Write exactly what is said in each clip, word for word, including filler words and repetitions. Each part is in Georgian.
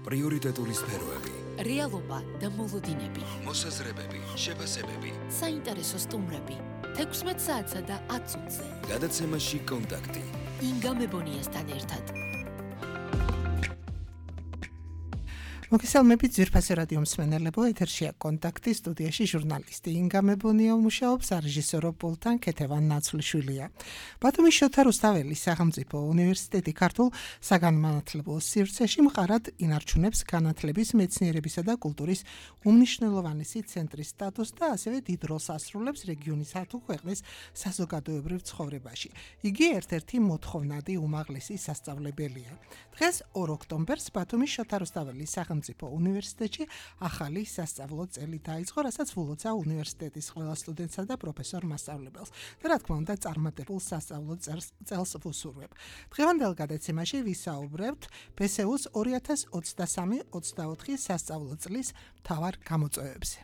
პრიორიტეტული სფეროები, რეალობა და მოლოდინები, მოსაზრებები, შეფასებები, საინტერესო სტუმრები, თექვსმეტ საათსა და ათ წუთზე. გადაცემაში კონტაქტი. ინგა მებონიასთან ერთად. მოგესალმებით ძვირფასი რადიო მსმენელებო, ეთერშია კონტაქტი, სტუდიაში ჟურნალისტი ინგა მებონია მუშაობს, რეჟისორო პულტთან ქეთევან ნაცვლიშვილია. ბათუმის შოთა რუსთაველის სახელმწიფო უნივერსიტეტი ქართულ საგანმანათლებლო სივრცეში მყარად ინარჩუნებს განათლების, მეცნიერებისა და კულტურის უმნიშვნელოვანესი ცენტრის სტატუსს და ასევე დიდ როლს ასრულებს რეგიონისა თუ ქვეყნის საზოგადოებრივ ცხოვრებაში. იგი ერთ-ერთი მოთხოვნადი უმაღლესი სასწავლებელია. დღეს ორ ოქტომბერს ბათუმის შოთა რუსთაველის სახელმწიფო უნივერსიტეტში ახალი სასწავლო წელი დაიწყო, რასაც ვულოცა უნივერსიტეტის ყველა სტუდენტსა და პროფესორ მასწავლებელს და რა თქმა უნდა წარმატებულ სასწავლო წელს ვუსურვებ. დღევანდელ გადაცემაში ვისაუბრებთ ბე ეს იუს ორი ათას ოცდასამი ოცდაოთხი სასწავლო წლის მთავარ გამოწვევებზე.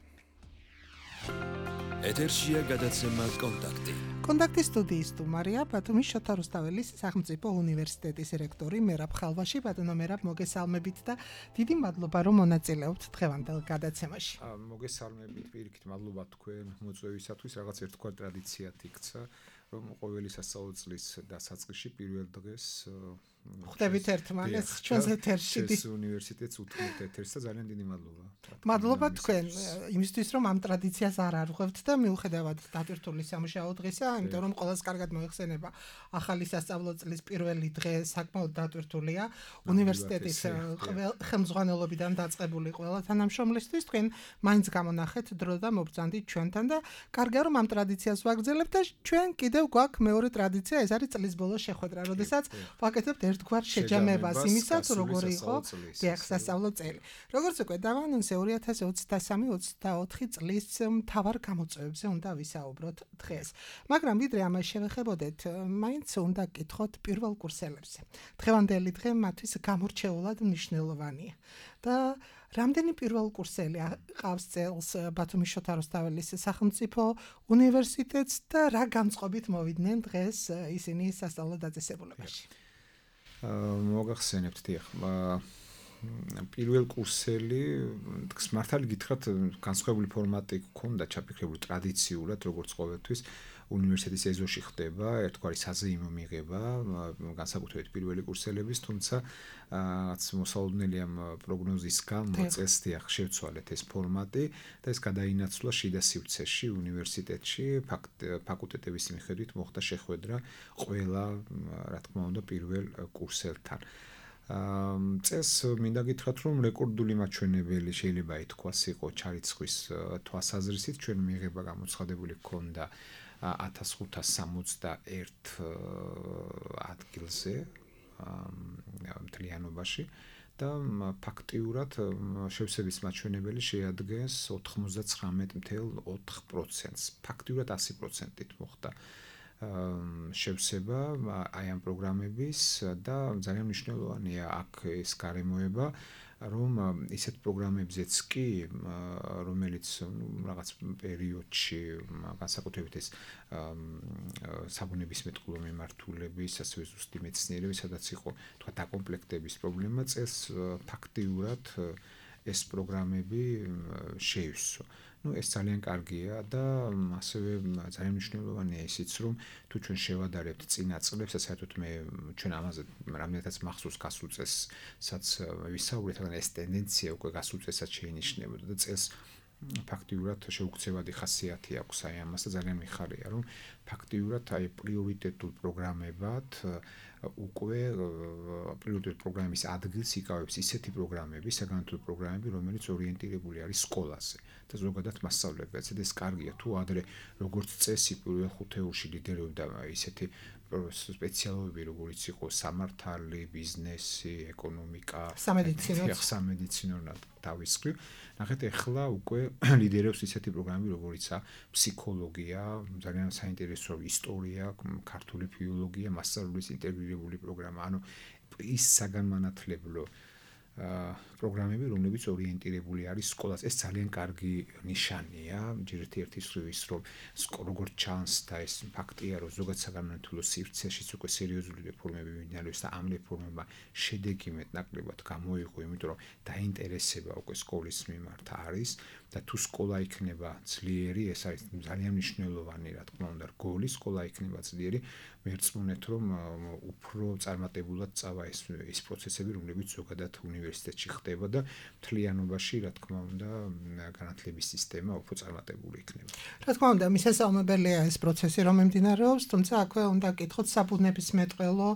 ეთერშია გადაცემა კონტაქტი. კონტაქტის სტუდიის სტუმარია ბათუმის შოთა რუსთაველის სახელმწიფო უნივერსიტეტის რექტორი მერაბ ხალვაში. ბატონო მერაბ, მოგესალმებით და დიდი მადლობა რომ მონაწილეობთ დღევანდელ გადაცემაში. მოგესალმებით, პირიქით მადლობა თქვენ მოწვევისათვის. რაღაც ერთგვარ ტრადიციად იქცა, რომ ყოველი სასწავლო წლის დასაწყისში პირველ დღეს ხვდებით ერთმანეთს ჩვენს ეთერში. ეს უნივერსიტეტს უთმობთ ეთერს და ძალიან დიდი მადლობა. მადლობა თქვენ იმისთვის, რომ ამ ტრადიციას არ არღვევთ და მიუხედავად დატვირთული სამუშაო დღისა, იმიტომ რომ ყველას კარგად მოიხსენება ახალი სასწავლო წლის პირველი დღე საკმაოდ დატვირთულია უნივერსიტეტის ხელმძღვანელობიდან დაწყებული ყველა თანამშრომლისთვის. თქვენ მაინც გამონახეთ დრო და მობრძანდით ჩვენთან და კარგია რომ ამ ტრადიციას ვაგრძელებთ და ჩვენ კიდევ გვაქვს მეორე ტრადიცია, ეს არის წლის ბოლოს შეხვედრა, როდესაც ვაკეთებთ ერთგვარ შეჯამებას იმისაც, როგორი იყო დიახ სასწავლო წელი. როგორც უკვე დავანონსე, ორი ათას ოცდასამი ოცდაოთხი წლის მთავარ გამოწვევებზე უნდა ვისაუბროთ დღეს. მაგრამ ვიდრე ამას შევეხებოდეთ, მაინც უნდა გკითხოთ პირველ კურსელებზე. დღევანდელი დღე მათთვის გამორჩეულად მნიშვნელოვანია. და რამდენი პირველ კურსელი ყავს წელს ბათუმის შოთა რუსთაველის სახელმწიფო უნივერსიტეტს და რა განწყობით მოვიდნენ დღეს ისინი სასწავლო დაწესებულებაში? მოგახსენებთ, დიახ. პირველ კურსელი, მართალი გითხრათ, განსხვავებული ფორმატი გქონდა ჩაფიქრებული ტრადიციულად, როგორც ყოველთვის უნივერსიტეტის ეზოში ხდება ერთგვარი საზეიმო მიღება, განსაკუთრებით პირველი კურსელების, თუმცა რაც მოსალოდნელი ამ პროგნოზის გამო წელს დიახ შევცვალეთ ეს ფორმატი და ეს გადაინაცვლა შიდა სივრცეში უნივერსიტეტში, ფაკულტეტების მიხედვით მოხდა შეხვედრა ყველა, რა თქმა უნდა, პირველ კურსელთან. წელს მინდა გითხრათ, რომ რეკორდული მაჩვენებელი შეიძლება ითქვას იყო ჩარიცხვის თვალსაზრისით, ჩვენ მიღება გამოცხადებული ჰქონდა ათას ხუთას სამოცდაერთ ადგილზე მთლიანობაში და ფაქტიურად შევსების მაჩვენებელი შეადგენს ოთხმოცდაცხრამეტ მცდარ ოთხ პროცენტს. ფაქტიურად ასი პროცენტით მოხდა შევსება აი ამ პროგრამების და ძალიან მნიშვნელოვანია აქ ეს გარემოება, რომ ისეთ პროგრამებზეც კი, რომელიც რაღაც პერიოდში განსაკუთრებით ეს საბუნებისმეტყველო მიმართულების, ასევე ზუსტი მეცნიერების, სადაც იყო თქვა დაკომპლექტების პრობლემა, წელს ფაქტიურად ეს პროგრამები შეივსო. Ну, ეს ძალიან კარგია და ასევე ძალიან მნიშვნელოვანია ისიც, რომ თუ ჩვენ შევადარებთ წინა წლებს, საერთოდ მე ჩვენ ამაზე რამდენადაც მახსოვს გასულ წელსაც ვისაუბრეთ, მაგრამ ეს ტენდენცია უკვე გასულ წელსაც შეინიშნებოდა და წელს ფაქტიურად შეუქცევადი ხასიათი აქვს აი ამას და ძალიან მიხარია, რომ ფაქტიურად აი პრიორიტეტულ პროგრამებად უკვე პრიორიტეტულ პროგრამის ადგილს იკავებს ისეთი პროგრამები, საგანმანათლებლო პროგრამები, რომელიც ორიენტირებული არის სკოლაზე და ზოგადად მასწავლებელზე. ეს კარგია, თუ ადრე როგორც წესი პირველ ხუთეულში ლიდერობდა ისეთი სპეციალობები, როგორც იყო სამართალი, ბიზნესი, ეკონომიკა, სამედიცინო, სამედიცინო თავისკრივ. ნახეთ, ეხლა უკვე ლიდერობს ისეთი პროგრამები, როგორიცაა ფსიქოლოგია, ძალიან საინტერესო ისტორია, ქართული ფილოლოგია, მასწავლებლის ინტეგრირებული პროგრამა. ანუ ის საგანმანათლებლო პროგრამები, რომლებიც ორიენტირებული არის სკოლას. ეს ძალიან კარგი ნიშანია, ერთ-ერთი მხრივ ის, რომ როგორც ჩანს და ეს ფაქტია, რომ ზოგადად საგანმანათლებლო სივრცეშიც უკვე სერიოზული რეფორმები მიმდინარეობს და ამ რეფორმებმა შედეგი მეტნაკლებად გამოიღო, იმიტომ რომ დაინტერესება უკვე სკოლის მიმართ არის და თუ სკოლა იქნება ძლიერი, ეს არის ძალიან მნიშვნელოვანი, რა თქმა უნდა, რგოლი სკოლა იქნება ძლიერი, მერწმუნეთ, რომ უფრო წარმატებულად წავა ეს ის პროცესები, რომლებიც ზოგადად უნივერსიტეტში ხდება და მთლიანობაში, რა თქმა უნდა, განათლების სისტემა უფრო წარმატებული იქნება. რა თქმა უნდა, მისასალმებელია ეს პროცესი, რომ მიმდინარეობს, თუმცა აქვე უნდა გკითხოთ საბუნებისმეტყველო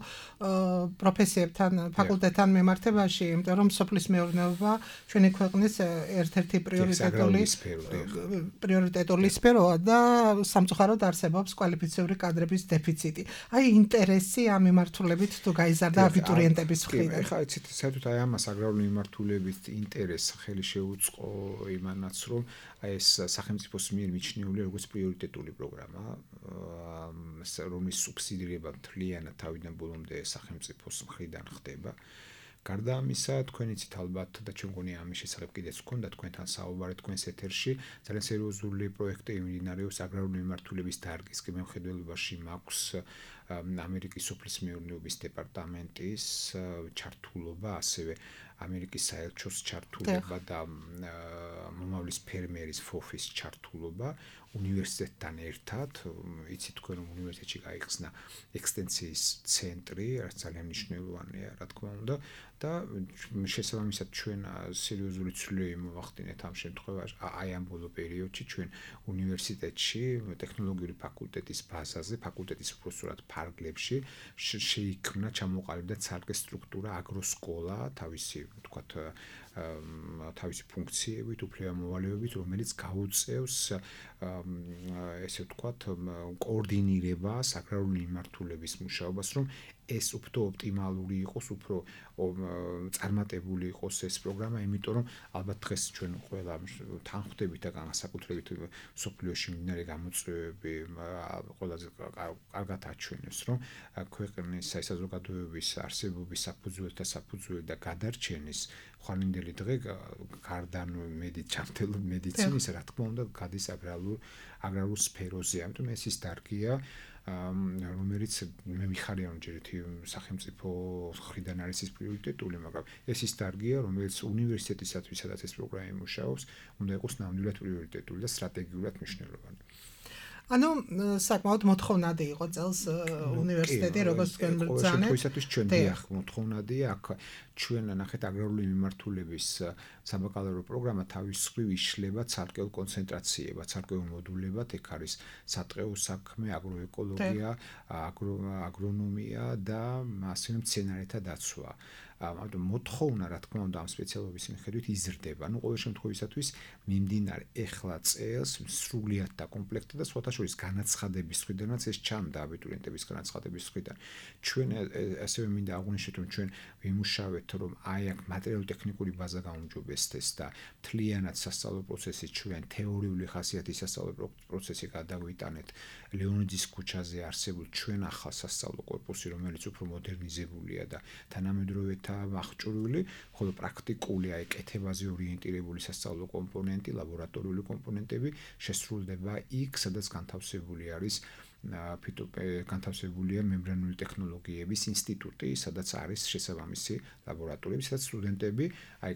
პროფესიებთან, ფაკულტეტთან მიმართებაში, იმიტომ რომ სოფლის მეურნეობა ჩვენი ქვეყნის ერთ-ერთი პრიორიტეტული პრიორიტეტული სფეროა და სამწუხაროდ არსებობს კვალიფიციური კადრების დეფიციტი. აი ინტერესი ამ მიმართულებით თუ გაიზარდა აბიტურიენტების მხრიდან. ეხლა იცით, საერთოდ აი ამას აგრარული მიმართულებით ინტერესს ხელი შეუწყო იმანაც, რომ აი ეს სახელმწიფოს მიერ მიჩნეული როგორც პრიორიტეტული პროგრამა, რომლის სუბსიდირება მთლიანად თავიდან ბოლომდე სახელმწიფოს მხრიდან ხდება. გარდა ამისა, თქვენ იცით ალბათ და ჩვენ მგონია ამის შესახებ კიდეც გქონდა თქვენთან საუბარი თქვენს ეთერში, ძალიან სერიოზული პროექტი მიმდინარეობს აგრარული მიმართულების დარგის მხედველობაში მაქვს ამერიკის სოფლის მეურნეობის დეპარტამენტის ჩართულობა, ასევე ამერიკის საელჩოს ჩართულობა და მომავლის ფერმერის ფოფის ჩართულობა უნივერსიტეტთან ერთად. იცით თქვენ რომ უნივერსიტეტში გაიხსნა ექსტენსიის ცენტრი, რაც ძალიან მნიშვნელოვანია, რა თქმა უნდა, და შესაბამისად ჩვენ სერიოზული ცვლილები მოვახდინეთ ამ შემთხვევაში, აი ამ ბოლო პერიოდში ჩვენ უნივერსიტეტში ტექნოლოგიური ფაკულტეტის ბაზაზე, ფაკულტეტის უბრალოდ ფარგლებში შეიქმნა, ჩამოყალიბდა ცალკე სტრუქტურა აგროსკოლა, თავისი ვთქვათ თავისი ფუნქციებით, უფლებამოვალეობით, რომელიც გაუწევს ესე ვთქვათ კოორდინირებას აგრარული მიმართულების მუშაობას, რომ ეს უფრო ოპტიმალური იყოს, უფრო წარმატებული იყოს ეს პროგრამა, იმიტომ რომ ალბათ დღეს ჩვენ ყველა თანხმდებით და განსაკუთრებით სოფლიოში მიმდინარე გამოწვევები ყველაზე კარგად აჩვენებს, რომ ქვეყნის საზოგადოების არსებობის საფუძველი და საფუძველი და გადარჩენის ხვალინდელი დღე გარდა მედიცინულ მედიცინის, რა თქმა უნდა, გადის აგრარულ აგრარულ სფეროზე, ამიტომ ეს ის დარგია, რომელიც მე მიხარია რომ ჯერ ერთი სახელმწიფო მხრიდან არის ის პრიორიტეტული, მაგრამ ეს ის დარგია, რომელიც უნივერსიტეტისათვის, სადაც ეს პროგრამა იმუშაობს, უნდა იყოს ნამდვილად პრიორიტეტული და სტრატეგიულად მნიშვნელოვანი. ანუ საკმაოდ მოთხოვნადი იყო წელს უნივერსიტეტი, როგორც თქვენ ბრძანეთ. ყოველთვის ჩვენ დიახ, მოთხოვნადია, აქ ჩვენ ნახეთ აგრარული მიმართულების საბაკალავრო პროგრამა თავის მხრივ იშლება ცალკეულ კონცენტრაციებად, ცალკეულ მოდულებად, ეგ არის სატყეო საქმე, აგროეკოლოგია, აგრონომია და ასევე მცენარეთა დაცვა. ამიტომ მოთხოვნა, რა თქმა უნდა, ამ სპეციალობის მიხედვით იზრდება. ანუ ყოველ შემთხვევისათვის მიმდინარე ეხლა წელს სრულიად დაკომპლექტდა და სხვათა შორის განაცხადების მხრიდანაც ეს ჩანდა აბიტურიენტების განაცხადების მხრიდან. ჩვენ ასევე მინდა აღვნიშნოთ, რომ ჩვენ ვიმუშავეთ, რომ აი აქ მატერიალურ-ტექნიკური ბაზა გაუმჯობესდეს და მთლიანად სასწავლო პროცესი ჩვენ თეორიული ხასიათის სასწავლო პროცესი გადავიტანეთ ლეონიძის ქუჩაზე არსებულ ჩვენ ახალ სასწავლო კორპუსი, რომელიც უფრო მოდერნიზებულია და თანამედროვე აღჭურვილი, ხოლო პრაქტიკული აი კეთებაზე ორიენტირებული სასწავლო კომპონენტი, ლაბორატორიული კომპონენტები შესრულდება იქ, სადაც განთავსებული არის ფიტო განთავსებულია მემბრანული ტექნოლოგიების ინსტიტუტი, სადაც არის შესაბამისი ლაბორატორიები, სადაც სტუდენტები აი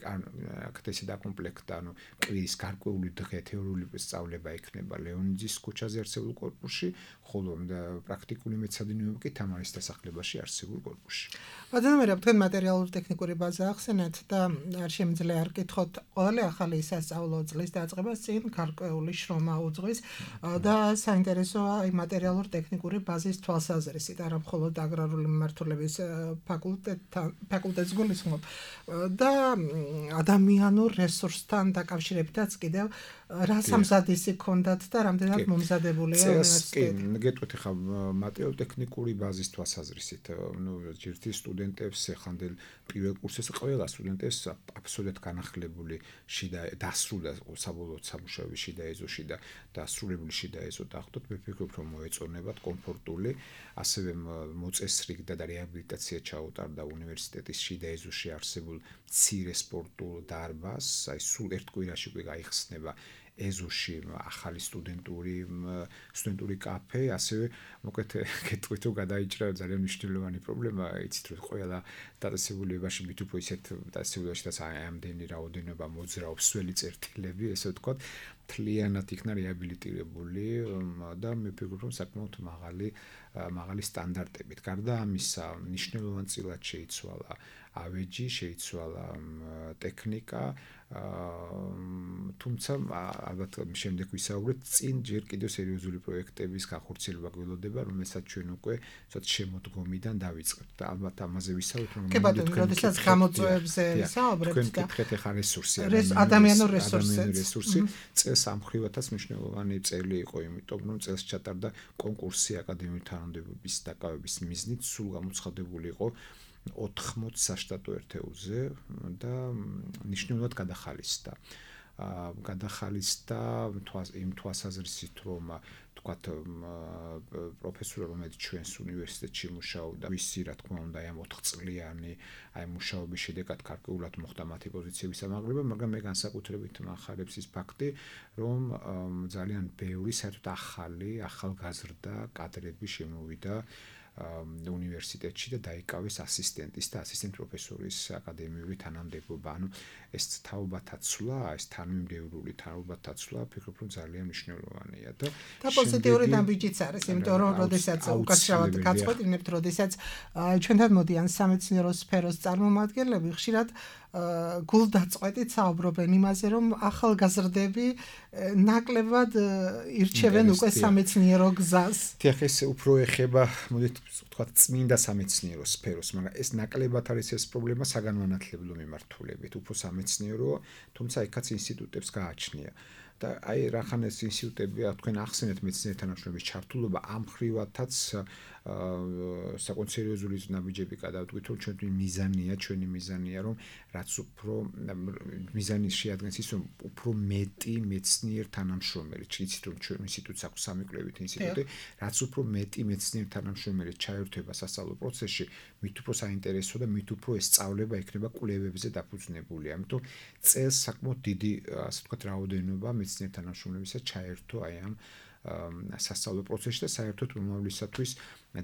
აქ ესე დაკომპლექტდა, ანუ კვირის გარკვეული დღე თეორიული სწავლება იქნება ლეონიძის ქუჩაზე არსებულ კორპუსში, ხოლო პრაქტიკული მეცადინეობა კი თამარის დასახლებაში არსებულ კორპუსში. ბატონო, თქვენ მატერიალურ ტექნიკური ბაზა ახსენეთ და არ შემიძლია არ კითხოთ ყოველი ახალი სასწავლო წლის დაწყებას წინ გარკვეული შრომა უძღვის და საინტერესოა აი მატერიალურ ტექნიკური ბაზის თვალსაზრისით, არა მხოლოდ აგრარული მიმართულების ფაკულტეტთან ფაკულტეტს გულისხმობ და ადამიანურ რესურსთან დაკავშირებითაც კიდევ რა სამზადისი გქონდათ და რამდენად მომზადებულია უნივერსიტეტი. კი, გეტყვით ხა მატერიალურ-ტექნიკური ბაზის თვალსაზრისით, ნუ ჯერთი სტუდენტებს ეხანდელ პირველ კურსზე ყველა სტუდენტებს აბსოლუტურად განახლებული შიდა დასრულდა საბოლოოდ სამუშაოების შიდა ეზოში და დასრულებული შიდა ეზო დახვდათ, მე ვფიქრობ, რომ მოეწონებათ კომფორტული, ასევე მოწესრიგდა და რეაბილიტაცია ჩაუტარდა უნივერსიტეტის შიდა ეზოში არსებულ მცირე სპორტულ დარბაზს, აი სულ ერთ კვირაში უკვე გაიხსნება ეზოში ახალი სტუდენტური სტუდენტური კაფე, ასევე მოკლედ გეტყვით რომ გადაიჭრა ძალიან მნიშვნელოვანი პრობლემა, იცით რომ ყველა დაწესებულებაში მით უფრო ისეთ დაწესებულებაშიც ამდენი რაოდენობა მოძრაობს სველი წერტილები, ესე ვთქვათ, მთლიანად იქნა რეაბილიტირებული და მე ვფიქრობ რომ საკმაოდ მაღალი მაღალი სტანდარტებით. გარდა ამისა, მნიშვნელოვანწილად შეიცვალა ავეჯი, შეიცვალა ტექნიკა, თუმცა ალბათ შემდეგ ვისაუბრეთ, წინ ჯერ კიდევ სერიოზული პროექტების გახორციელება გველოდება, რომელსაც ჩვენ უკვე ცოტ შემოდგომიდან დავიწყებთ და ალბათ ამაზე ვისაუბრეთ, რომ კი ბატონო, როდესაც გამოწვევებზე ვისაუბრებთ და თქვენ კითხეთ ახლა რესურსი, ადამიანური რესურსი, წელს ამ მხრივათაც მნიშვნელოვანი წელი იყო, იმიტომ რომ წელს ჩატარდა კონკურსი აკადემიური თანამდებობის დაკავების მიზნით, სულ გამოცხადებული იყო ოთხმოც საშტატო ერთეულზე და მნიშვნელოვნად გადახალისდა. გადახალისდა იმ თვალსაზრისით, რომ თქვათ პროფესორი, რომელიც ჩვენს უნივერსიტეტში მუშაობდა, ვისი რა თქმა უნდა ამ ოთხწლიანი აი მუშაობის შედეგად გარკვეულად მოხდა მათი პოზიციების ამაღლება, მაგრამ მე განსაკუთრებით მახარებს ის ფაქტი, რომ ძალიან ბევრი საერთოდ ახალი, ახალგაზრდა კადრები შემოვიდა უნივერსიტეტში და დაიკავეს ასისტენტის და ასისტენტ პროფესორის აკადემიური თანამდებობა. ანუ ეს თაობათაცვლა, ეს თანმიმდევრული თაობათაცვლა, ვფიქრობ, რომ ძალიან მნიშვნელოვანია და და პოზიტიური დამბიჯიც არის, იმიტომ რომ როდესაც უკაცრავად გაწყვეტინებთ, როდესაც ჩვენთან მოდიან სამეცნიერო სფეროს წარმომადგენლები, ხშირად გულდაწყვეტით საუბრობენ იმაზე, რომ ახალგაზრდები ნაკლებად ირჩევენ უკვე სამეცნიერო გზას. თიხ ეს უფრო ეხება, მოდით ვთქვათ, წმინდა სამეცნიერო სფეროს, მაგრამ ეს ნაკლებად არის ეს პრობლემა საგანმანათლებლო მიმართულებით, უფრო სამეცნიერო, თუმცა იქაც ინსტიტუტებს გააჩნია. და აი რახან ეს ინსტიტუტები, თქვენ ახსენეთ მეცნიერთა თანამშრომლობის ჩართულობა, ამ ხრივათაც საკმაოდ სერიოზული ნაბიჯები გადავდგით, რომ ჩვენი მიზანია, ჩვენი მიზანია, რომ რაც უფრო მიზანი შეადგენს ის, რომ უფრო მეტი მეცნიერ თანამშრომელი, იცით რომ ჩვენ ინსტიტუტს აქვს სამი კვლევით ინსტიტუტი, რაც უფრო მეტი მეცნიერ თანამშრომელი ჩაერთვება სასწავლო პროცესში, მით უფრო საინტერესო და მით უფრო ეს სწავლება იქნება კვლევებზე დაფუძნებული. ამიტომ წელს საკმაოდ დიდი, ასე ვთქვათ, რაოდენობა მეცნიერ თანამშრომლებისა ჩაერთო აი ამ სასწავლო პროცესში და საერთოდ მომავლისათვის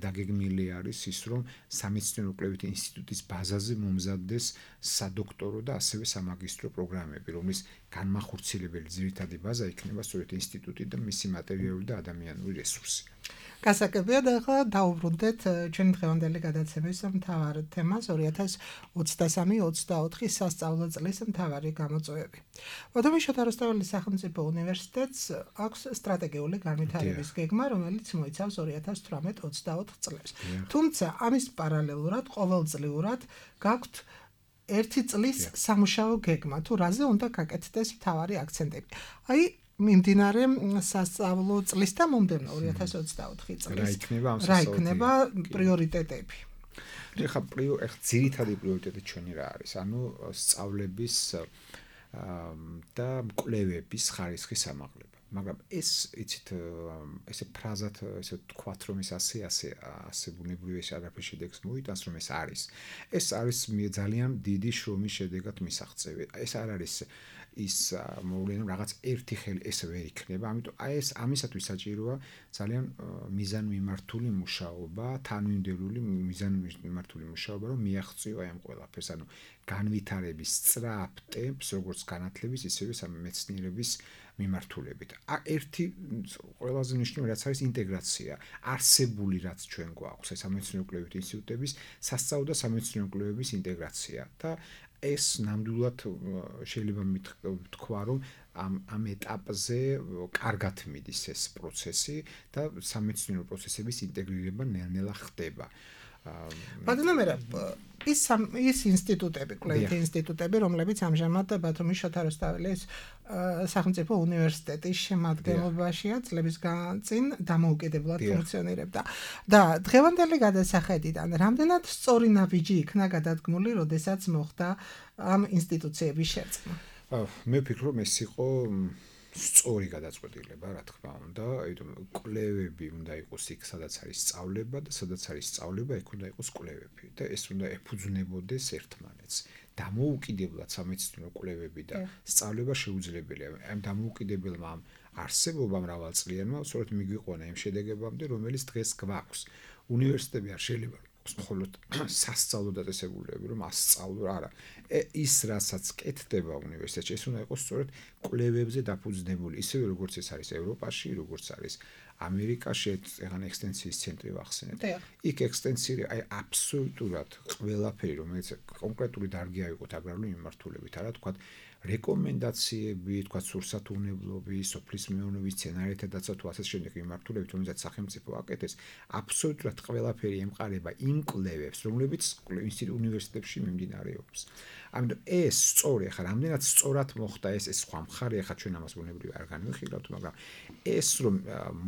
დაგეგმილი არის ის, რომ სამეცნიერო კვლევით ინსტიტუტის ბაზაზე მომზადდეს სადოქტორო და ასევე სამაგისტრო პროგრამები, რომლის განმახორციელებელი ძირითადი ბაზა იქნება სწორედ ინსტიტუტი და მისი მატერიალური და ადამიანური რესურსი. გასაგებია და ახლა დაუბრუნდეთ ჩვენი დღევანდელი გადაცემის მთავარ თემას ორი ათას ოცდასამი ოცდაოთხი სასწავლო წლის მთავარი გამოწვევები. ბატონი შოთა რუსთაველის სახელმწიფო უნივერსიტეტს აქვს სტრატეგიული განვითარების გეგმა, რომელიც მოიცავს ორი ათას თვრამეტ ოცდაოთხ წლებს. თუმცა ამის პარალელურად ყოველწლიურად გაქვთ ერთი წლის სამუშაო გეგმა, თუ რაზე უნდა გაკეთდეს მთავარი აქცენტები. აი მიმდინარე სასწავლო წლის და მომდევნო ორი ათას ოცდაოთხი წლის რა იქნება ამ რა იქნება პრიორიტეტები? ეხლა ძირითადი პრიორიტეტი ჩვენი რა არის? ანუ სწავლების და კვლევების ხარისხის ამაღლება. მაგრამ ეს იცით ესე ფრაზად ესე თქვათ რომ ეს ასე ასე ასე ბუნებრივი ეს არაფერი შედეგს მოიტანს რომ ეს არის. ეს არის ძალიან დიდი შრომის შედეგად მისაღწევი. ეს არ არის ის მოვლენა რაღაც ერთი ხელი ესე ვერ იქნება. ამიტომ აი ეს ამისათვის საჭიროა ძალიან მიზანმიმართული მუშაობა, თანმიმდევრული მიზანმიმართული მუშაობა, რომ მიაღწიო აი ამ ყველაფერს. ანუ განვითარების სწრაფ ტემპს, როგორც განათლების, ისევე სამეცნიერების მიმართულებით. ერთი ყველაზე მნიშვნელოვანი რაც არის ინტეგრაცია. არსებული რაც ჩვენ გვაქვს, ეს სამეცნიერო კვლევით ინსტიტუტების სასწავლო და სამეცნიერო კვლევების ინტეგრაცია და ეს ნამდვილად შეიძლება თქვა, რომ ამ ამ ეტაპზე კარგად მიდის ეს პროცესი და სამეცნიერო პროცესების ინტეგრირება ნელ-ნელა ხდება. ბატონო, ის ის ინსტიტუტები, კვლევითი ინსტიტუტები, რომლებიც ამჟამად ბათუმის შოთა რუსთაველის სახელმწიფო უნივერსიტეტის შემადგენლობაშია წლების განმავლობაში დამოუკიდებლად ფუნქციონირებდა. და დღევანდელი გადასახედიდან რამდენად სწორი ნაბიჯი იქნა გადადგმული, როდესაც მოხდა ამ ინსტიტუციების შერწყმა? მე ვფიქრობ, ეს იყო სწორი გადაწყვეტილება, რა თქმა უნდა, იმიტომ კვლევები უნდა იყოს იქ, სადაც არის სწავლება და სადაც არის სწავლება, იქ უნდა იყოს კვლევები და ეს უნდა ეფუძნებოდეს ერთმანეთს. დამოუკიდებლად სამეცნიერო კვლევები და სწავლება შეუძლებელია. ამ დამოუკიდებელმა არსებობამ მრავალწლიანმა სწორედ მიგვიყვანა იმ შედეგებამდე, რომელიც დღეს გვაქვს. უნივერსიტეტები არ შეიძლება მხოლოდ სასწავლო დაწესებულებები, რომ ასწავლო, არა. ის რასაც კეთდება უნივერსიტეტში, ეს უნდა იყოს სწორედ კვლევებზე დაფუძნებული, ისევე როგორც ეს არის ევროპაში, როგორც არის ამერიკაში, ეგან ექსტენსიის ცენტრი ვახსენეთ. იქ ექსტენსია, აი აბსოლუტურად ყველაფერი, რომელიც კონკრეტული დარგი აიღოთ აგრარული მიმართულებით, არა თქვა რეკომენდაციები, თქვა სურსათურნებლობის, სოფლის მეურნეობის სცენარითა დაცვა თუ ასე შემდეგ მიმართულებით, რომელსაც სახელმწიფო აკეთებს, აბსოლუტურად ყველაფერი ემყარება იმ კვლევებს, რომლებიც უნივერსიტეტებში მიმდინარეობს. ამიტომ ეს სწორი, ახლა რამდენად სწორად მოხდა ეს ეს სხვა მხარე, ახლა ჩვენ ამას ბუნებრივი არ განვიხილავთ, მაგრამ ეს რომ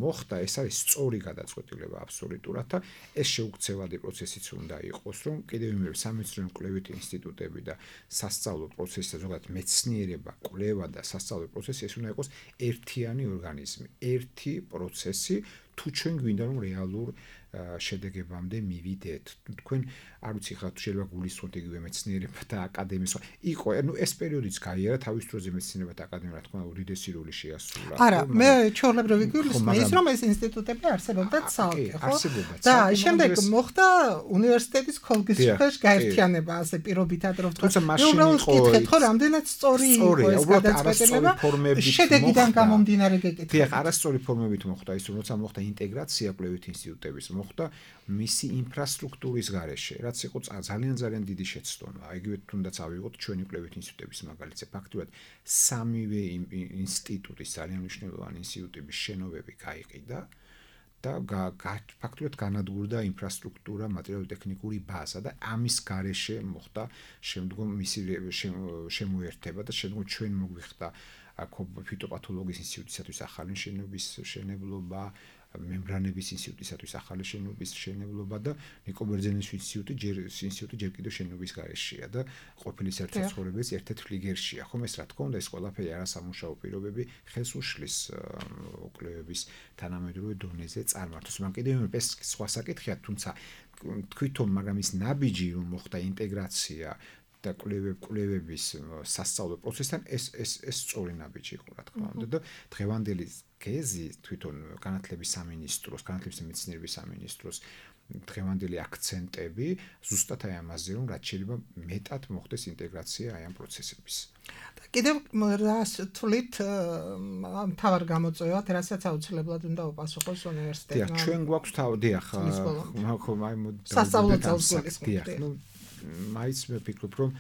მოხდა, ეს არის სწორი გადაწყვეტილება აბსოლუტურად და ეს შეუქცევადი პროცესიც უნდა იყოს, რომ კიდევ იმ სამეცნიერო კვლევითი ინსტიტუტები და სასწავლო პროცესი და ზოგადად მეცნიერება, კვლევა და სასწავლო პროცესი ეს უნდა იყოს ერთიანი ორგანიზმი, ერთი პროცესი, თუ ჩვენ გვინდა რომ რეალურ შედეგებამდე მივიდეთ. თქვენ არ ვიცი ხა შეიძლება გულისხმოთ იგივე მეცნიერება და აკადემიის. იყო, ანუ ეს პერიოდიც გაიარა თავის დროზე მეცნიერება და აკადემია, რა თქმა უნდა, უდიდესი როლი შეასრულა. არა, მე ჩვეულებრივი გულისხმობ ის რომ ეს ინსტიტუტები არსებობდა ცალკე, ხო? და შემდეგ მოხდა უნივერსიტეტის ქოლგის შეფერშ გაერთიანება, ასე პირობითად რომ თქვა. მე უბრალოდ ვკითხეთ, ხო, რამდენად სწორი იყო ეს გადაწყვეტილება. შედეგიდან გამომდინარე გეკითხეთ. დიახ, არასწორი ფორმებით მოხდა ის, როცა მოხდა ინტეგრაცია კვლევითი ინსტიტუტების, მოხდა მისი ინფრასტრუქტურის გარეშე, რაც იყო ძალიან ძალიან დიდი შეცდომა. იგივე თუნდაც ავიღოთ ჩვენი კვლევითი ინსტიტუტების მაგალითზე, ფაქტობრივად სამივე ინსტიტუტის ძალიან მნიშვნელოვანი ინსტიტუტების შენობები გაიყიდა და ფაქტობრივად განადგურდა ინფრასტრუქტურა, მატერიალურ-ტექნიკური ბაზა და ამის გარეშე მოხდა შემდგომ მისი შემოერთება და შემდგომ ჩვენ მოგვიხდა ფიტოპათოლოგიის ინსტიტუტისათვის ახალი შენობის შენებლობა, მემბრანების ინსტიტუტისათვის ახალი შენობის შენებლობა და ნიკო ბერძენის ინსტიტუტი ჯერ ინსტიტუტი ჯერ კიდევ შენობის გარეშეა და ყოფილი საერთაშორისო ერთ-ერთ ფლიგერშია. ხომ ეს რა თქმა უნდა ეს ყველაფერი არასამუშაო პირობები ხელს უშლის კვლევების თანამედროვე დონეზე წარმართოს. მაგრამ კიდევ ეს სხვა საკითხია, თუმცა თვითონ მაგრამ ის ნაბიჯი რომ მოხდა ინტეგრაცია და კვლევების სასწავლო პროცესთან ეს ეს ეს სწორი ნაბიჯი იყო, რა თქმა უნდა და დღევანდელი გეზი თვითონ განათლების სამინისტროს, განათლების მეცნიერების სამინისტროს დღევანდელი აქცენტები ზუსტად აი ამაზე რომ რაც შეიძლება მეტად მოხდეს ინტეგრაცია აი ამ პროცესების. და კიდევ რას თვლით მთავარ გამოწვევად, რასაც აუცილებლად უნდა უპასუხოს უნივერსიტეტმა? დიახ, ჩვენ გვაქვს თავი, დიახ, მაგრამ აი სასწავლო წელს დიახ, ნუ მაიც მე ვფიქრობ რომ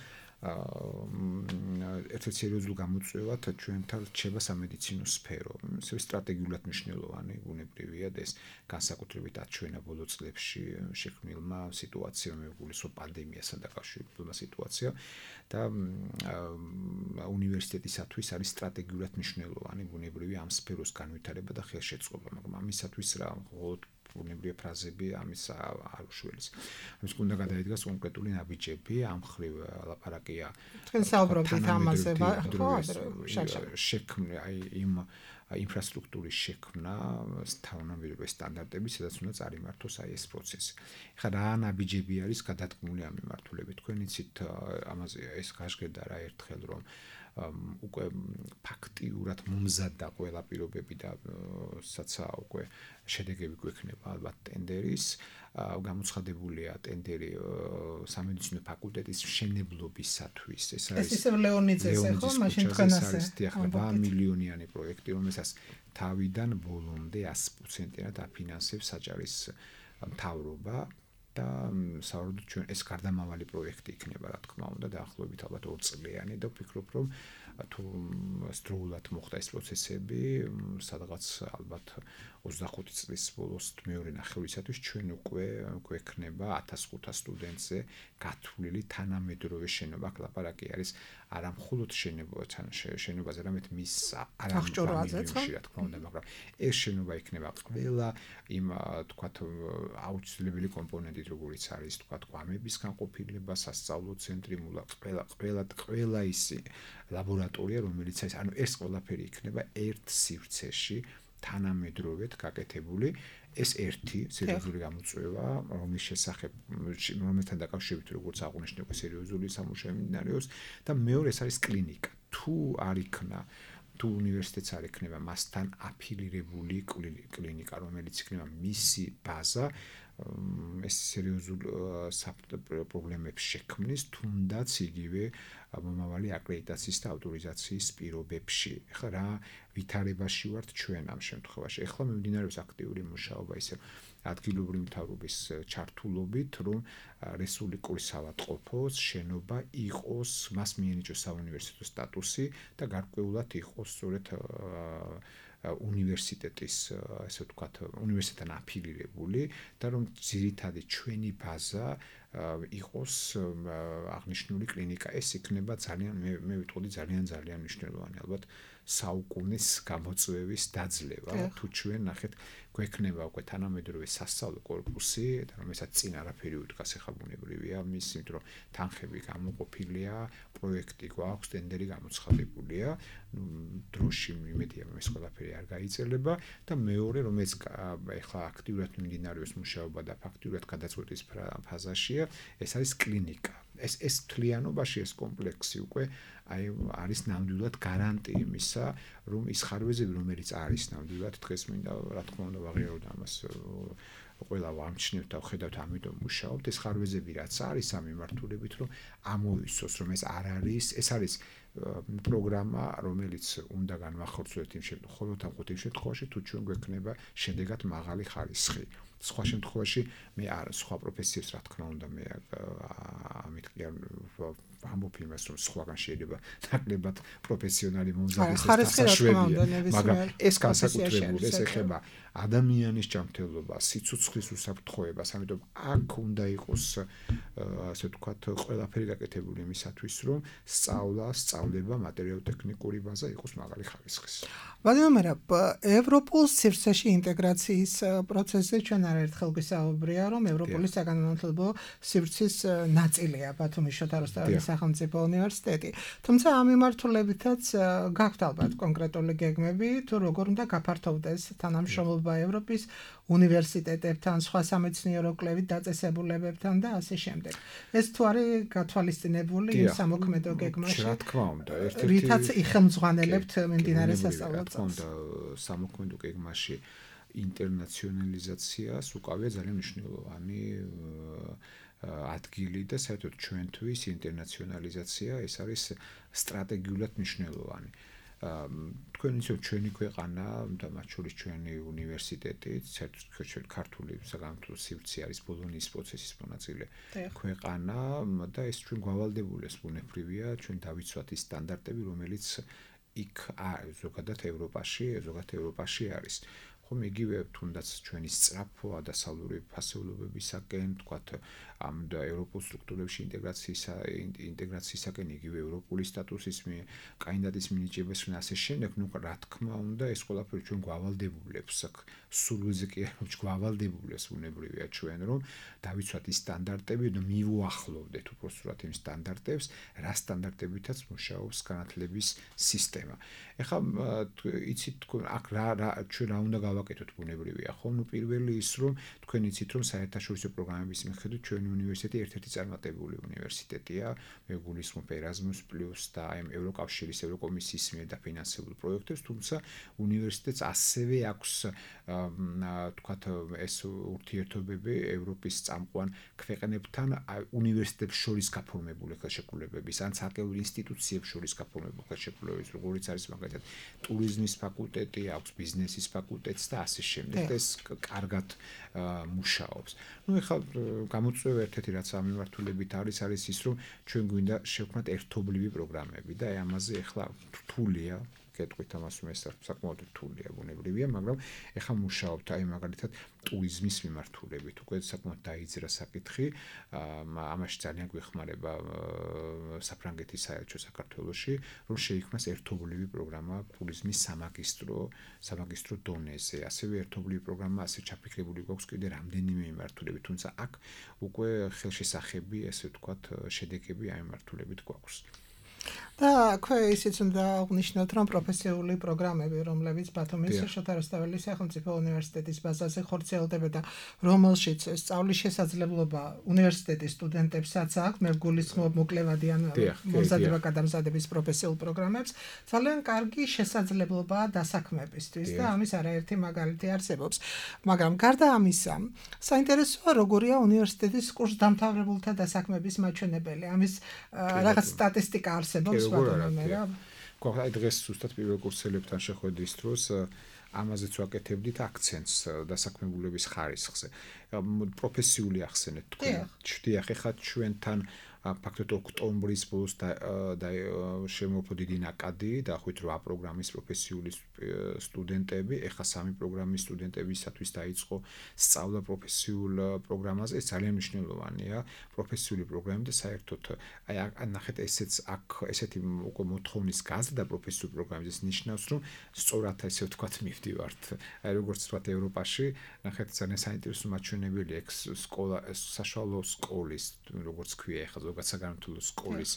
ერთ-ერთ სერიოზულ გამოწვევად ჩვენთან რჩება სამედიცინო სფერო. ეს სტრატეგიულად მნიშვნელოვანი ბუნებრივია და ეს განსაკუთრებით აჩვენა ბოლო წლებში შექმნილმა სიტუაციამ, მეგულისო პანდემიასთან დაკავშირებულმა სიტუაცია და უნივერსიტეტისათვის არის სტრატეგიულად მნიშვნელოვანი ბუნებრივია ამ სფეროს განვითარება და ხელშეწყობა, მაგრამ ამისათვის რა მხოლოდ ბუნებრივი ფრაზები ამის არ უშველის. ამის უნდა გადაიდგას კონკრეტული ნაბიჯები, ამ ხრივ ლაპარაკია. თქვენ საუბრობთ ამაზე, ხო, შექმნა აი იმ ინფრასტრუქტურის შექმნა, თანამედროვე სტანდარტები, სადაც უნდა წარიმართოს აი ეს პროცესი. ეხლა რა ნაბიჯები არის გადადგმული ამ მიმართულებით? თქვენ იცით ამაზე ეს გაშგერდა რა ერთხელ რომ უკვე ფაქტიურად მომზადდა ყველა პირობები და საცა უკვე შედეგები გვექნება ალბათ ტენდერის, გამოცხადებულია ტენდერი სამედიცინო ფაკულტეტის მშენებლობისათვის. ეს არის ეს ისე ლეონიძეზე, ხო, მაშინ თქვენ ასე რვა მილიონიანი პროექტი, რომელსაც თავიდან ბოლომდე ათი პროცენტიანად აფინანსებს საჯარის მთავრობა. და საერთოდ ჩვენ ეს გარდამავალი პროექტი იქნება, რა თქმა უნდა, დაახლოებით ალბათ ორ წლიანი და ვფიქრობ, რომ თუ სტრულად მოხდა ეს პროცესები, სადღაც ალბათ ოცდახუთი წლის ბოლოს მეორე ნახევრისათვის ჩვენ უკვე გვექნება ათას ხუთას სტუდენტზე გათვლილი თანამედროვე შენობა. აქ ლაპარაკი არის არა მხოლოდ შენობასთან შენობაზე, არამედ მის არამხოლოდ რა თქმა უნდა, მაგრამ ეს შენობა იქნება ყველა იმ თქვათ აუცილებელი კომპონენტით, როგორიც არის თქვათ კვამების განყოფილება, სასწავლო ცენტრი, მულა, ყველა ყველა ყველა ისი ლაბორატორია, რომელიც არის, ანუ ეს ყველაფერი იქნება ერთ სივრცეში თანამედროვედ გაკეთებული. ეს ერთი სერიოზული გამოწვევა, რომლის შესახებ რომელთან დაკავშირებით როგორც აღნიშნე, სერიოზული სამუშაო მიმდინარეობს და მეორე ეს არის კლინიკა. თუ არ იქნა თუ უნივერსიტეტს არ ექნება მასთან აფილირებული კლინიკა, რომელიც იქნება მისი ბაზა, ეს სერიოზულ პრობლემებს შექმნის, თუნდაც იგივე მომავალი აკრედიტაციის და ავტორიზაციის პირობებში. ეხლა რა ვითარებაში ვართ ჩვენ ამ შემთხვევაში? ეხლა მიმდინარეობს აქტიური მუშაობა ისე ადგილობრივი მთავრობის ჩართულობით, რომ რესპუბლიკური საავადმყოფოს შენობა იყოს, მას მიენიჭოს საუნივერსიტეტო სტატუსი და გარკვეულად იყოს სწორედ უნივერსიტეტის, ასე ვთქვათ, უნივერსიტეტთან აფილირებული და რომ ძირითადი ჩვენი ბაზა იყოს აღნიშნული კლინიკა. ეს იქნება ძალიან მე მე ვიტყოდი ძალიან ძალიან მნიშვნელოვანი ალბათ საუკუნის გამოწვევის დაძლევა. თუ ჩვენ ნახეთ გვექნება უკვე თანამედროვე სასწავლო კორპუსი, რომელსაც წინ არაფერი უდგას, ეხლა ბუნებრივია მის, იმიტომ რომ თანხები გამოყოფილია, პროექტი გვაქვს, ტენდერი გამოცხადებულია, დროში იმედია რომ ეს ყველაფერი არ გაიწელება და მეორე რომ ეს ეხლა აქტიურად მიმდინარეობს მუშაობა და ფაქტიურად გადაწყვეტის ფაზაშია, ეს არის კლინიკა. ეს ეს თლიანობაში ეს კომპლექსი უკვე აი არის ნამდვილად გარანტია იმისა, რომ ის ხარვეზები, რომელიც არის ნამდვილად დღეს მინდა რა თქმა უნდა ვაღიაროთ ამას ყველა ვამჩნევთ და ვხედავთ, ამიტომ მუშაობთ. ეს ხარვეზები რაც არის ამ მიმართულებით, რომ ამოვისოს, რომ ეს არ არის, ეს არის პროგრამა, რომელიც უნდა განვახორციელოთ იმ შემთხვევაში, იმ შემთხვევაში თუ ჩვენ გვექნება შედეგად მაღალი ხარისხი. სხვა შემთხვევაში მე არ სხვა პროფესიებს რა თქმა უნდა მე ამით კი ამბობ იმას, რომ სხვაგან შეიძლება ნაკლებად პროფესიონალი მომზადეს საშუალებია, მაგრამ ეს განსაკუთრებული ეს ეხება ადამიანის ჯანმრთელობას, სიცოცხლის უსაფრთხოებას, ამიტომ აქ უნდა იყოს ასე ვთქვათ ყველაფერი გაკეთებული იმისათვის, რომ სწავლა, სწავლება, მატერიალურ-ტექნიკური ბაზა იყოს მაღალი ხარისხის. ვადიმერ, ევროპულ სივრცეში ინტეგრაციის პროცესზე ჩვენ არაერთხელ გვისაუბრია, რომ ევროპული საგანმანათლებლო სივრცის ნაწილია ბათუმის შოთა რუსთაველის სახელმწიფო უნივერსიტეტი. თუმცა ამ მიმართულებითაც გაქვთ ალბათ კონკრეტული გეგმები, თუ როგორ უნდა გაფართოვდეს თანამშრომლობა ევროპის უნივერსიტეტებთან, სხვა სამეცნიერო კვლევით დაწესებულებებთან და ასე შემდეგ. ეს თუ არის გათვალისწინებული იმ სამოქმედო გეგმაში? რა თქმა უნდა, ერთ-ერთი რითაც იხელმძღვანელებთ მიმდინარე სასწავლო წელს. რა თქმა უნდა, სამოქმედო გეგმაში ინტერნაციონალიზაციას უკავია ძალიან მნიშვნელოვანი ადგილი და საერთოდ ჩვენთვის ინტერნაციონალიზაცია ეს არის სტრატეგიულად მნიშვნელოვანი. თქვენ იცით ჩვენი ქვეყანა და მათ შორის ჩვენი უნივერსიტეტი, საერთოდ ქართული საგანმანათლებლო სივრცე არის ბოლონიის პროცესის მონაწილე ქვეყანა და ეს ჩვენ გვალდებულებს ბუნებრივია, ჩვენ დავიცვათ ის სტანდარტები, რომელიც იქ ზოგადად ევროპაში, ზოგადად ევროპაში არის. ხომ იგივე თუნდაც ჩვენი სწრაფო დასავლური ფასეულობებისაკენ, თქვათ ამ ევროპულ სტრუქტურებში ინტეგრაციისა ინტეგრაციისაკენ იგივე ევროპული სტატუსის კანდიდატის მინიჭებას და ასე შემდეგ, ნუ რა თქმა უნდა ეს ყველაფერი ჩვენ გვალდებულებს, სულზე კი არ გვალდებულებს ბუნებრივია ჩვენ რომ დავიცვათ ის სტანდარტები და მივუახლოვდეთ უბრალოდ იმ სტანდარტებს, რა სტანდარტებითაც მუშაობს განათლების სისტემა. ეხლა იცით თქვენ აქ რა ჩვენ რა უნდა გავაკეთოთ ბუნებრივია, ხო? ნუ პირველი ის რომ თქვენ იცით რომ საერთაშორისო პროგრამების მიხედვით ჩვენი უნივერსიტეტი ერთ-ერთი წარმატებული უნივერსიტეტია, მე გულისხმობ Erasmus Plus და აი ევროკავშირის, ევროკომისიის მიერ დაფინანსებულ პროექტებს, თუმცა უნივერსიტეტს ასევე აქვს თქვათ ეს ურთიერთობები ევროპის წამყვან ქვეყნებთან უნივერსიტეტებს შორის გაფორმებული ხელშეკრულებების, ან საკუთარ ინსტიტუციებს შორის გაფორმებული ხელშეკრულებების, როგორიც არის მაგალითად ტურიზმის ფაკულტეტი, აქვს ბიზნესის ფაკულტეტი და ასე შემდეგ. ეს კარგად მუშაობს. ნუ ეხლა გამოწვევები ასევე ერთ-ერთი რაც ამ მიმართულებით არის არის ის რომ ჩვენ გვინდა შევქმნათ ერთობლივი პროგრამები და აი ამაზე ახლა რთულია კეთყვით ამას მე საკმაოდ რთულია ბუნებრივია მაგრამ ეხლა მუშაობთ აი მაგალითად ტურიზმის მიმართულებით უკვე საკმაოდ დაიძრა საკითხი ამაში ძალიან გვეხმარება საფრანგეთის საელჩო საქართველოში რომ შეიქმნას ერთობლივი პროგრამა ტურიზმის სამაგისტრო სამაგისტრო დონეზე ასევე ერთობლივი პროგრამა ასე ჩაფიქრებული გვაქვს კიდე რამდენიმე მიმართულებით თუმცა აქ უკვე ხელშესახები ესე ვთქვათ შედეგები აი მიმართულებით გვაქვს და აქვე ისიც უნდა აღნიშნოთ, რომ პროფესიული პროგრამები, რომლებიც ბათუმის შოთა რუსთაველის სახელმწიფო უნივერსიტეტის ბაზაზე ხორციელდება და რომელშიც სწავლის შესაძლებლობა უნივერსიტეტის სტუდენტებსაც აქვს, მე გულისხმობ მოკლევადიან მომზადება გადამზადების პროფესიულ პროგრამებს, ძალიან კარგი შესაძლებლობაა დასაქმებისთვის და ამის არაერთი მაგალითი არსებობს. მაგრამ გარდა ამისა, საინტერესოა როგორია უნივერსიტეტის კურსდამთავრებულთა დასაქმების მაჩვენებელი. ამის რაღაც სტატისტიკა არსებობს. როგორ არა აი დღეს ზუსტად პირველ კურსელებთან შეხვედრის დროს ამაზეც ვაკეთებდით აქცენტს დასაქმებულების ხარისხზე პროფესიული ახსენეთ თქვენ ჩდიახ ეხლა ჩვენთან ფაქტობრივად ოქტომბრის ბოლოს და შემოვფო დიდი ნაკადი დახვით რვა პროგრამის პროფესიული სტუდენტები ეხლა სამი პროგრამის სტუდენტებისათვის დაიწყო სწავლა პროფესიულ პროგრამაზე ეს ძალიან მნიშვნელოვანია პროფესიული პროგრამები და საერთოდ აი ნახეთ ესეც აქ ესეთი უკვე მოთხოვნის გაზრდა პროფესიულ პროგრამებზე ეს ნიშნავს რომ სწორად ესე ვთქვათ მივდივართ აი როგორც ვთქვათ ევროპაში ნახეთ ძალიან საინტერესო მაჩვენებელი ექს სკოლა საშუალო სკოლის როგორც ქვია ეხლა ზოგადად საგანმანათლებლო სკოლის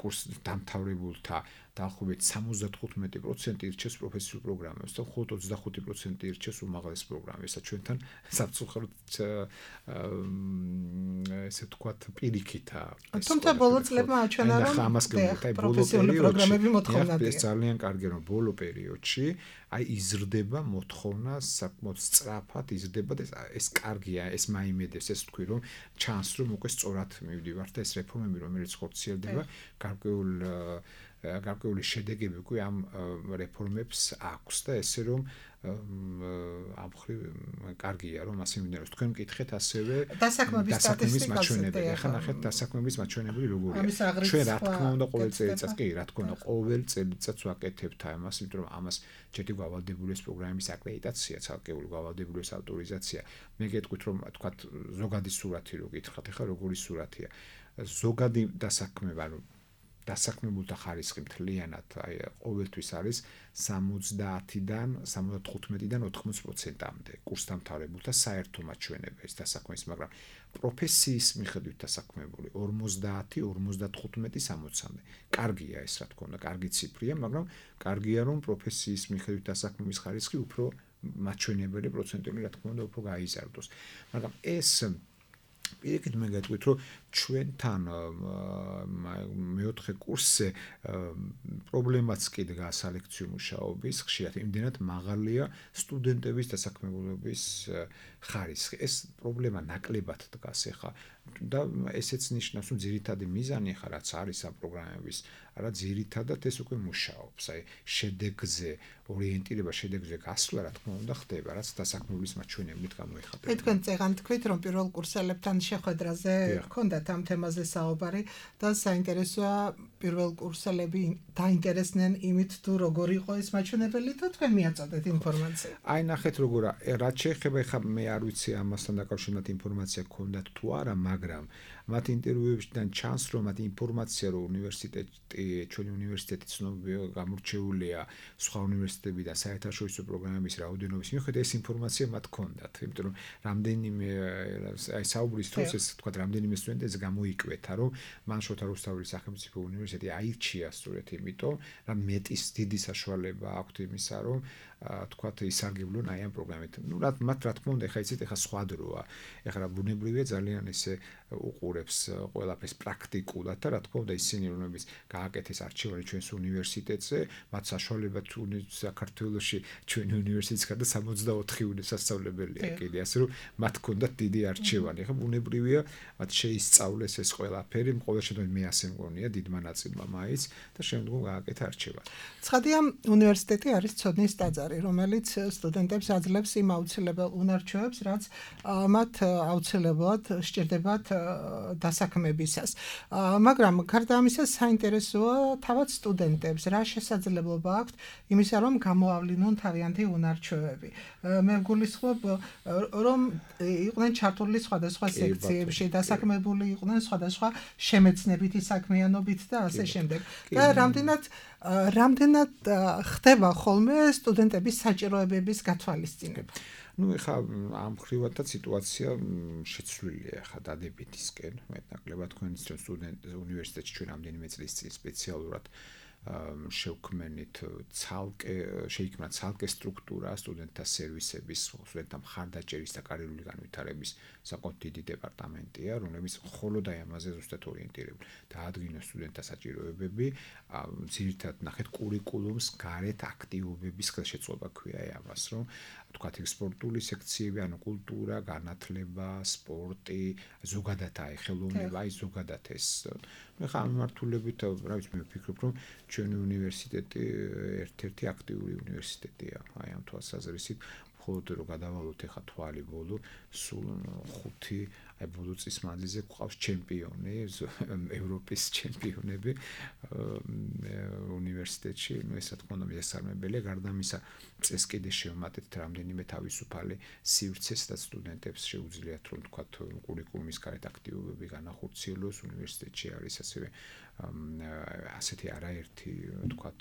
კურს დამთავრებულთა დაახლოებით სამოცდათხუთმეტი პროცენტი ირჩევს პროფესიულ პროგრამებს და მხოლოდ ოცდახუთი პროცენტი ირჩევს უმაღლეს პროგრამებს. ჩვენთან საფრთხოდ ესე ვთქვათ პირიქითა. თუმცა ბოლო წლებმა აჩვენა რომ პროფესიული პროგრამები მოთხოვნადია. ეს ძალიან კარგია რომ ბოლო პერიოდში აი იზრდება მოთხოვნა საკმაოდ სწრაფად იზრდება და ეს კარგია ეს მაიმედებს ეს თქვი რომ ჩანს რომ უკვე სწორად მივდივართ და ეს რეფორმები რომელიც ხორციელდება გარკვეულ გარკვეული შედეგები უკვე ამ რეფორმებს აქვს და ესე რომ ამ ხრივ კარგია რომ ასე მინდა თქვენ მკითხეთ ასევე დასაქმების მაჩვენებელი ახლა ნახეთ დასაქმების მაჩვენებელი როგორია ჩვენ რა თქმა უნდა ყოველ წელიწადს კი რა თქმა უნდა ყოველ წელიწადს ვაკეთებთ ამას იმიტომ რომ ამას ჯერ გავალდებული ეს პროგრამის აკრედიტაცია ცალკეული გავალდებული ეს ავტორიზაცია მე გეტყვით რომ თქვათ ზოგადი სურათი რო გითხრათ ახლა როგორი სურათია ზოგადი დასაქმება რომ დასაქმებულთა ხარისხი მთლიანად აი ყოველთვის არის სამოცდაათიდან სამოცდათხუთმეტიდან ოთხმოცდაოთხ პროცენტამდე კურსდამთავრებულთა საერთო მაჩვენებლის დასაქმების მაგრამ პროფესიის მიხედვით დასაქმებული ორმოცდაათი ორმოცდათხუთმეტი სამოცამდე კარგია ეს რა თქმა უნდა კარგი ციფრია მაგრამ კარგია რომ პროფესიის მიხედვით დასაქმების ხარისხი უფრო მაჩვენებელი პროცენტული რა თქმა უნდა უფრო გაიზარდოს მაგრამ ეს პირიქით მე გეტყვით რომ ჩვენთან მეოთხე კურსზე პრობლემაც კი დგას სალექციო მუშაობის ხშირად იმდენად მაღალია სტუდენტების დასაქმებულობის ხარისხი ეს პრობლემა ნაკლებად დგას ახლა და ესეც ნიშნავს რომ ძირითადი მიზანი ახლა რაც არის ამ პროგრამების არა ძირითადად ეს უკვე მუშაობს აი შედეგზე ორიენტირება შედეგზე გასვლა რა თქმა უნდა ხდება რაც დასაქმებულის მაჩვენებლით გამოიხატება მე თქვენ წეგან თქვით რომ პირველ კურსელებთან შეხვედრაზე გქონდათ ამ თემაზე საუბარი და საინტერესოა პირველ კურსელები დაინტერესდნენ იმით თუ როგორ იყო ეს მაჩვენებელი და თქვენ მიაწოდეთ ინფორმაცია აი ნახეთ როგორა რაც შეეხება ხა მე არ ვიცი ამასთან დაკავშირებით ინფორმაცია გქონდათ თუ არა მაგრამ მათ ინტერვიუებიდან ჩანს რომ მათ ინფორმაცია რომ უნივერსიტეტი ჩვენი უნივერსიტეტი ცნობილია გამორჩეულია სხვა უნივერსიტეტები და საერთაშორისო პროგრამების რაოდენობის მიხედვით ეს ინფორმაცია მათ ჰქონდათ იმიტომ რომ რამდენიმე აი საუბრის დროს ეს თქვა რამდენიმე სტუდენტს გამოიკვეთა რომ მან შოთა რუსთაველის სახელმწიფო უნივერსიტეტი აირჩია სწორედ იმიტომ რომ მეტის დიდი საშუალება აქვთ იმისა რომ თქვათ ისარგებლონ აი ამ პროგრამით. ნუ რა მათ რა თქმა უნდა, ეხლა იცით, ეხლა სხვა დროა. ეხლა ბუნებრივია ძალიან ესე უყურებს ყველაფერს პრაქტიკულად და რა თქმა უნდა ისინი რომლებიც გააკეთეს არჩევანი ჩვენს უნივერსიტეტზე, მათ საშუალება თუ საქართველოში ჩვენი უნივერსიტეტის გარდა სამოცდაოთხი სასწავლებელია კიდე, ასე რომ მათ ჰქონდათ დიდი არჩევანი. ეხლა ბუნებრივია მათ შეისწავლეს ეს ყველაფერი, ყოველ შემთხვევაში მე ასე მგონია დიდმა ნაწილმა მაიც და შემდგომ გააკეთა არჩევანი. ცხადია, უნივერსიტეტი არის ცოდნის ტაძარი, რომელიც სტუდენტებს აძლევს იმ აუცილებელ უნარჩვევებს, რაც მათ აუცილებლად სჭირდებათ დასაქმებისას. მაგრამ გარდა ამისა საინტერესოა თავად სტუდენტებს რა შესაძლებლობა აქვთ იმისა რომ გამოავლინონ თავიანთი უნარჩვევები. მე ვგულისხმობ რომ იყვნენ ჩართული სხვადასხვა სექციებში, დასაქმებული იყვნენ სხვადასხვა შემეცნებითი საქმიანობით და ასე შემდეგ. და რამდენად რამდენად ხდება ხოლმე სტუდენტების საჭიროებების გათვალისწინება. ну ეხა ამ ხრივადაც სიტუაცია შეცვლილია ეხა დადებითისკენ მეტნაკლებად თქვენ ისე სტუდენტ უნივერსიტეტში ჩვენ რამდენიმე წლის წინ სპეციალურად შევქმნით ცალკე შეიქმნა ცალკე სტრუქტურა სტუდენტთა სერვისების სტუდენტთა მხარდაჭერის და კარიერული განვითარების საკმაოდ დიდი დეპარტამენტია რომლებიც მხოლოდ აი ამაზე ზუსტად ორიენტირებული დაადგინოს სტუდენტთა საჭიროებები ძირითადად ნახეთ კურიკულუმს გარეთ აქტივობების ხელშეწყობა ქვია აი ამას რომ თქვათ სპორტული სექციები, ანუ კულტურა, განათლება, სპორტი, ზოგადად აი ხელოვნება, აი ზოგადად ეს. მე ხა ამ მიმართულებით, რა ვიცი, მე ვფიქრობ, რომ ჩვენი უნივერსიტეტი ერთ-ერთი აქტიური უნივერსიტეტია. აი ამ თვალსაზრისით, მხოლოდ რომ გადავალოთ ეხა თვალი ბოლო, სულ ხუთი აი ბოლო წლის მანძილზე გვყავს ჩემპიონი, ევროპის ჩემპიონები უნივერსიტეტში, ну ეს რა თქმა უნდა მიესალმებელია, გარდა ამისა წეს კიდე შევმატეთ რამდენიმე თავისუფალი სივრცეს და სტუდენტებს შეუძლიათ რომ თქვათ კურიკულუმის გარეთ აქტივობები განახორციელოს უნივერსიტეტში არის ასევე ასეთი არაერთი თქვათ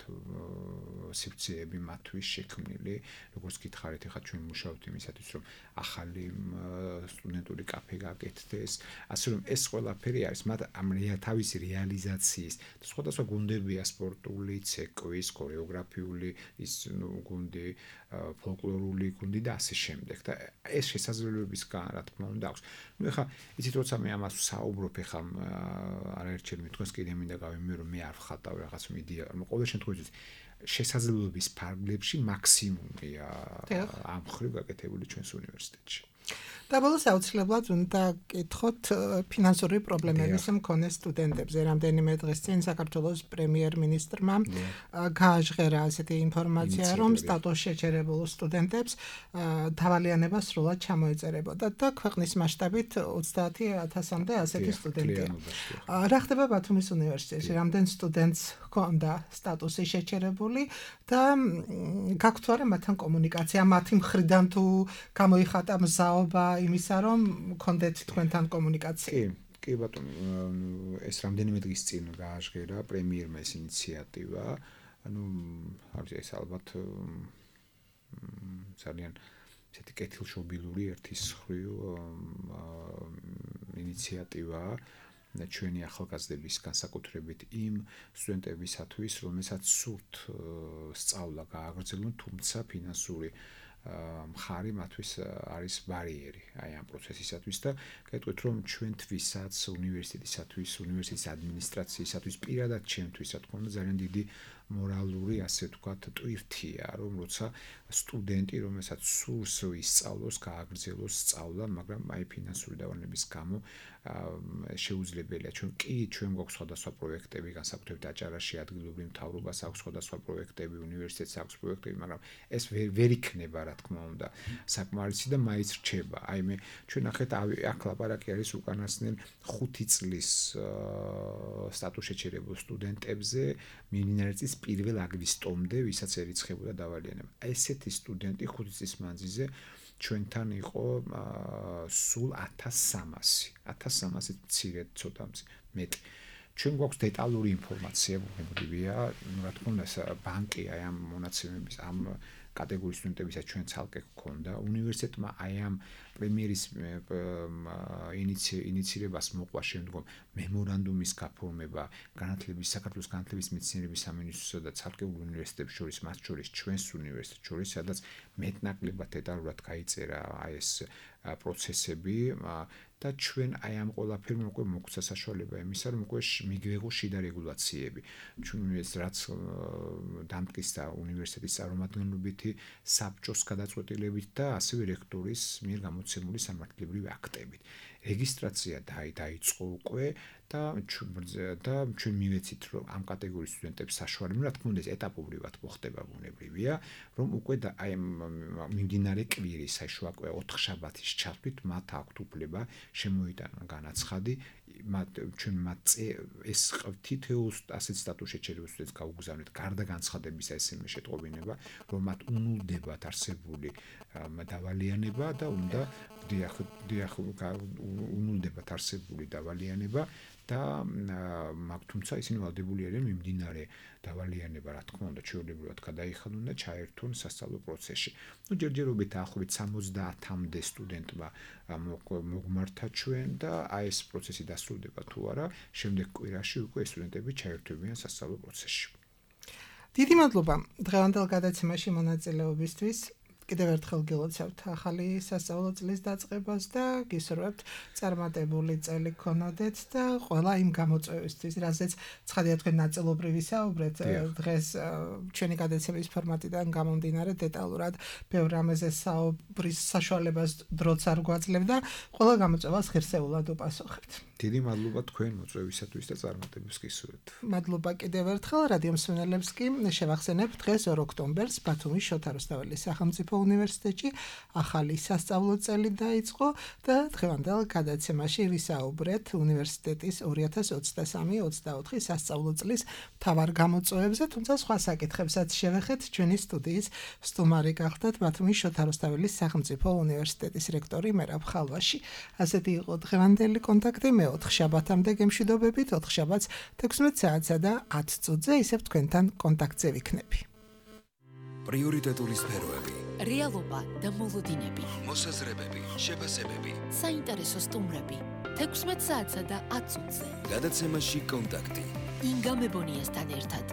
სივრცეები მათთვის შექმნილი, როგორც გითხარით, ეხლა ჩვენ მუშაობთ იმისათვის რომ ახალი სტუდენტური კაფე გაკეთდეს, ასე რომ ეს ყველაფერი არის მათ ამ თავისი რეალიზაციის და სხვადასხვა გუნდებია სპორტული, ცეკვის, ქორეოგრაფიული, ის ნუ გუნდი, ფოლკლორული გუნდი და ასე შემდეგ და ეს შესაძლებლობისგან რა თქმა უნდა აქვს. ნუ ეხლა იცით როცა მე ამას ვსაუბრობ ეხლა არაერთხელ მithქვენს კიდე მინდა გავიმეორო რომ მე არ ვხატავ რაღაც მიდია, ნუ ყოველ შემთხვევაში შესაძლებლობის ფარგლებში მაქსიმუმია ამ ხრივ გაკეთებული ჩვენს უნივერსიტეტში. და ბოლოს აუცილებლად უნდა გკითხოთ ფინანსური პრობლემების მქონე სტუდენტებზე. რამდენიმე დღეს წინ საქართველოს პრემიერ-მინისტრმა გააჟღერა ასეთი ინფორმაცია, რომ სტატუს შეჩერებულ სტუდენტებს დავალიანება სრულად ჩამოეწერებოდა და ქვეყნის მასშტაბით ოცდაათი ათასამდე ასეთი სტუდენტია. რა ხდება ბათუმის უნივერსიტეტში? რამდენ სტუდენტს ჰქონდა სტატუსი შეჩერებული და გაქვთ არა მათთან კომუნიკაცია, მათი მხრიდან თუ გამოიხატა მზაობა იმისა რომ გქონდეთ თქვენთან კომუნიკაცია. კი, კი ბატონო, ეს რამდენიმე დღის წინ გააჟღერა პრემიერმა ეს ინიციატივა. ანუ არის ეს ალბათ ძალიან ესეთი კეთილშობილური ერთის ხრივ ინიციატივაა ჩვენი ახალგაზრდების განსაკუთრებით იმ სტუდენტებისათვის, რომელსაც სურთ სწავლა გააგრძელონ, თუმცა ფინანსური მხარი მათთვის არის ბარიერი აი ამ პროცესისათვის და გეტყვით რომ ჩვენთვისაც უნივერსიტეტისათვის, უნივერსიტეტის ადმინისტრაციისათვის, პირადად ჩემთვის რა თქმა უნდა ძალიან დიდი მორალური ასე ვთქვათ ტვირთია რომ როცა სტუდენტი რომელსაც სურს ისწავლოს, გააგრძელოს სწავლა, მაგრამ აი ფინანსური დავალების გამო შეუძლებელია. ჩვენ კი ჩვენ გვაქვს სხვადასხვა პროექტები, განსაკუთრებით აჭარაში ადგილობრივ მთავრობას აქვს სხვადასხვა პროექტები, უნივერსიტეტს აქვს პროექტები, მაგრამ ეს ვერ იქნება რა თქმა უნდა საკმარისი და მაინც რჩება. აი მე ჩვენ ნახეთ აქ ლაპარაკი არის უკანასკნელ ხუთი წლის სტატუს შეჩერებულ სტუდენტებზე მინიმალური წლის პირველ აგვისტომდე, ვისაც ერიცხებოდა დავალიანება. ესეთი სტუდენტი ხუთი წლის მანძილზე ჩვენთან იყო სულ ათას სამასი. ათას სამასი მცირედ ცოტა მეტი. ჩვენ გვაქვს დეტალური ინფორმაცია, ბუნებრივია, რა თქმა უნდა, ბანკი აი ამ მონაცემების ამ კატეგორიის სტუდენტებისაც ჩვენ ცალკე გქონდა. უნივერსიტეტმა აი ამ პრემიერის ინიციირებას მოყვა შემდგომ მემორანდუმის გაფორმება განათლების საქართველოს განათლების მეცნიერების სამინისტროსა და ცალკეულ უნივერსიტეტებს შორის, მათ შორის ჩვენს უნივერსიტეტს შორის, სადაც მეტნაკლებად დეტალურად გაიწერა აი ეს პროცესები და ჩვენ აი ამ ყველაფერმა უკვე მოგვცა საშუალება იმისა, რომ უკვე მიგვეღო შიდა რეგულაციები. ჩვენ ეს რაც დამტკიცდა უნივერსიტეტის წარმომადგენლობითი საბჭოს გადაწყვეტილებით და ასევე რექტორის მიერ გამოცემული სამართლებრივი აქტებით. რეგისტრაცია დაიწყო უკვე და და ჩვენ მივეცით რომ ამ კატეგორიის სტუდენტებს საშუალება, რა თქმა უნდა, ეს ეტაპობრივად მოხდება ბუნებრივია, რომ უკვე და აი მიმდინარე კვირის აი შუა ოთხშაბათის ჩათვლით მათ აქვთ უფლება შემოიტანონ განაცხადი, მათ ჩვენ მათ ეს თითოეულ ასეთ სტატუსში შეიძლება სტუდენტს გაუგზავნეთ გარდა განცხადებისა ესმე შეტყობინება, რომ მათ უნულდებათ არსებული დავალიანება და უნდა დიახ დიახ უნულდებათ არსებული დავალიანება და მაგ თუმცა ისინი ვალდებული არიან მიმდინარე დავალიანება, რა თქმა უნდა, ჩვეულებრივად გადაიხადონ და ჩაერთონ სასწავლო პროცესში. ნუ ჯერჯერობით დაახლოებით სამოცდაათამდე სტუდენტმა მოგმართა ჩვენ და აი ეს პროცესი დასრულდება თუ არა, შემდეგ კვირაში უკვე სტუდენტები ჩაერთვებიან სასწავლო პროცესში. დიდი მადლობა დღევანდელ გადაცემაში მონაწილეობისთვის. კიდევ ერთხელ გილოცავთ ახალი სასწავლო წლის დაწყებას და გისურვებთ წარმატებული წელი გქონოდეთ და ყველა იმ გამოწვევისთვის, რაზეც ცხადია თქვენ ნაწილობრივ ვისაუბრეთ დღეს ჩვენი გადაცემის ფორმატიდან გამომდინარე დეტალურად ბევრ რამეზე საუბრის საშუალებას დროც არ გვაძლევდა, ყველა გამოწვევას ღირსეულად უპასუხებთ. დიდი მადლობა თქვენ მოწვევისათვის და წარმატებებს გისურვებთ. მადლობა კიდევ ერთხელ რადიო მსმენელებს კი შევახსენებ დღეს ორ ოქტომბერს ბათუმის შოთა რუსთაველის სახელმწიფო უნივერსიტეტში ახალი სასწავლო წელი დაიწყო და დღევანდელ გადაცემაში ვისაუბრეთ უნივერსიტეტის ორი ათას ოცდასამი ოცდაოთხი სასწავლო წლის მთავარ გამოწვევებზე, თუმცა სხვა საკითხებსაც შევეხეთ. ჩვენი სტუდიის სტუმარი გახლდათ ბათუმის შოთა რუსთაველის სახელმწიფო უნივერსიტეტის რექტორი მერაბ ხალვაში. ასეთი იყო დღევანდელი კონტაქტი. მე ოთხშაბათამდე გემშვიდობებით, ოთხშაბათს თექვსმეტ საათსა და ათ წუთზე ისევ თქვენთან კონტაქტზე ვიქნები. პრიორიტეტული სფეროები, რეალობა და მოლოდინები, მოსაზრებები, შეფასებები, საინტერესო სტუმრები, თექვსმეტ საათსა და ათ წუთზე. გადაცემაში კონტაქტი. ინგა მებონიასთან ერთად.